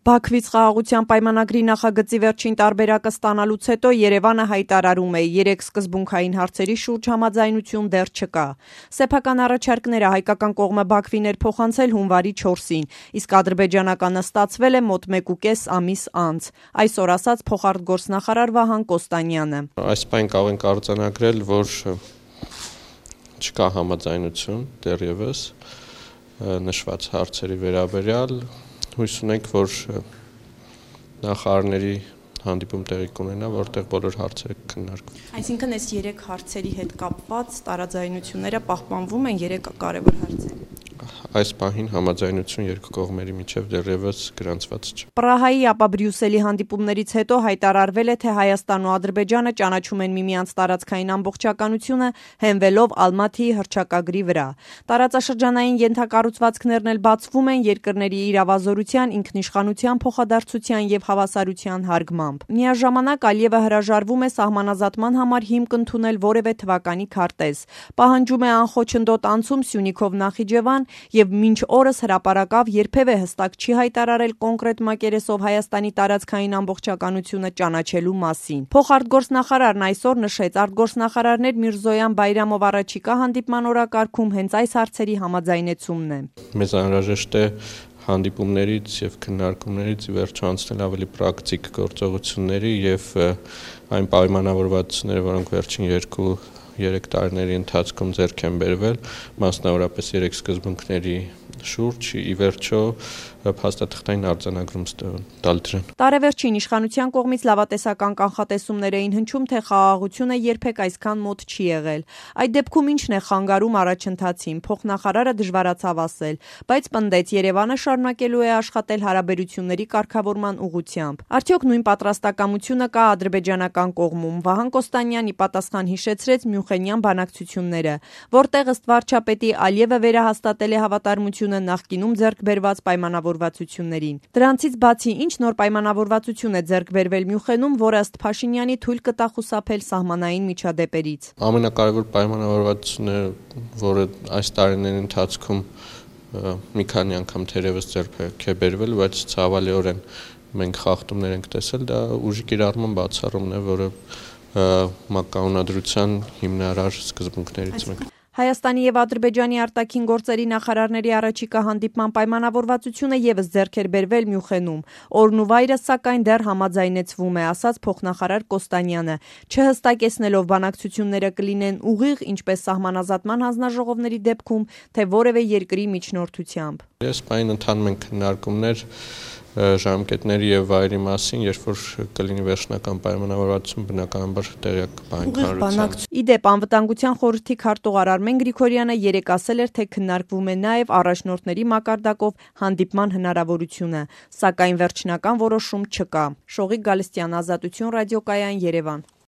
Բաքվից խաղաղության պայմանագրի նախագծի վերջին տարբերակը ստանալուց հետո Երևանը հայտարարում է՝ 3 սկզբունքային հարցերի շուրջ համաձայնություն դեռ չկա։ Սեփական առաջարկները հայկական կողմը Բաքվին էր փոխանցել հունվարի 4-ին, իսկ ադրբեջանականը ստացվել է մոտ 1.5 ամիս անց։ Այսօր ասաց փոխարտգործնախարար Վահան Կոստանյանը։ Այս պայն կարող ենք արձանագրել, որ չկա համաձայնություն դեռևս նշված հարցերի վերաբերյալ։ Հույս ունենք, որ նախարարների հանդիպում տեղի կունենա, որտեղ բոլոր հարցերը քննարկվեն։ Այսինքն այս 3 հարցերի հետ կապված տարաձայնությունները պահպանվում են 3 կարևոր հարցերի։ Այս պահին համաձայնություն երկու կողմերի միջև դեռևս գրանցված չէ։ Պրահայի, ապա Բրյուսելի հանդիպումներից հետո հայտարարվել է, թե Հայաստանն ու Ադրբեջանը ճանաչում են միմյանց տարածքային ամբողջականությունը, հենվելով Ալմաթիի հռչակագրի վրա։ Տարածաշրջանային ենթակառուցվածքներն էլ բացվում են երկրների իրավազորության, ինքնիշխանության փոխադարձության եւ հավասարության հարգմամբ։ Միաժամանակ Ալիևը հրաժարվում է սահմանազատման համար հիմք ընդունել որևէ թվականի քարտեզ։ Պահանջում է անխոչնդոտ անցում Սյունիքով Նախիջևան եւ մինչ օրս հրապարակավ երբևէ հստակ չի հայտարարել կոնկրետ մակերեսով Հայաստանի տարածքային ամբողջականությունը ճանաչելու մասին։ Փոխարտգործնախարարն այսօր նշեց, արտգործնախարարներ Միրզոյան Բայրամով առաջիկա հանդիպման օրակարգում հենց այս հարցերի համաձայնեցումն է։ Մեզ անհրաժեշտ է հանդիպումներից եւ քննարկումներից ի վերջո անցնել ավելի պրակտիկ գործողությունների եւ այն պայմանավորվածությունները, որոնք վերջին 2-3 տարիների ընթացքում ձեռք են բերվել, մասնավորապես 3 սկզբունքների շուրջ ի վերջո փաստաթղթային արձանագրում տալ դրան։ Տարեվերջին իշխանության կողմից լավատեսական կանխատեսումներ էին հնչում, թե խաղաղությունը երբեք այսքան մոտ չի եղել։ Այդ դեպքում ինչն է խանգարում առաջընթացին, փոխնախարարը դժվարացավ ասել, բայց պնդեց, Երևանը շարունակելու է աշխատել հարաբերությունների կարգավորման ուղղությամբ։ Արդյոք նույն պատրաստակամությունը կա ադրբեջանական կողմում։ Վահան Կոստանյանի պատասխան հիշեցրեց Մյունխենյան բանակցությունները, որտեղ ըստ վարչապետի Ալիևը վերահաստատել է հավատարմությունը նախկինում ձեռք բերված պայմանավորվածություններին։ Դրանցից բացի ինչ նոր պայմանավորվածություն է ձեռք բերվել Մյունխենում, որը ըստ Փաշինյանի թույլ կտա խուսափել սահմանային միջադեպերից։ Ամենակարևոր պայմանավորվածությունը, որը այս տարիների ընթացքում մի քանի անգամ թերևս ձեռք է բերվել, բայց ցավալիորեն մենք խախտումներ ենք տեսել, դա ուժի կիրառման բացառումն է, որը մակարոնադրության հիմնարար սկզբունքներից մեկն է։ Հայաստանի եւ Ադրբեջանի արտաքին գործերի նախարարների առաջիկա հանդիպման պայմանավորվածությունը եւս ձեռք էր բերվել Մյունխենում։ Օրն ու վայրը սակայն դեռ համաձայնեցվում է, ասաց փոխնախարար Կոստանյանը, չհստակեցնելով բանակցությունները կլինեն ուղիղ, ինչպես սահմանազատման հանձնաժողովների դեպքում, թե որևէ երկրի միջնորդությամբ։ Այս պայն ընթանում են քննարկումներ ժամկետների եւ վայրի մասին, երբ որ կլինի վերջնական պայմանավորվածություն, բնականաբար տեղյակ կհայտնվի։ Իդեպ անվտանգության խորհրդի քարտուղար Արմեն Գրիգորյանը երեկ ասել էր, թե քննարկվում է նաեւ առաջնորդների մակարդակով հանդիպման հնարավորությունը, սակայն վերջնական որոշում չկա։ Շողիկ Գալստյան, Ազատություն ռադիոկայան, Երևան։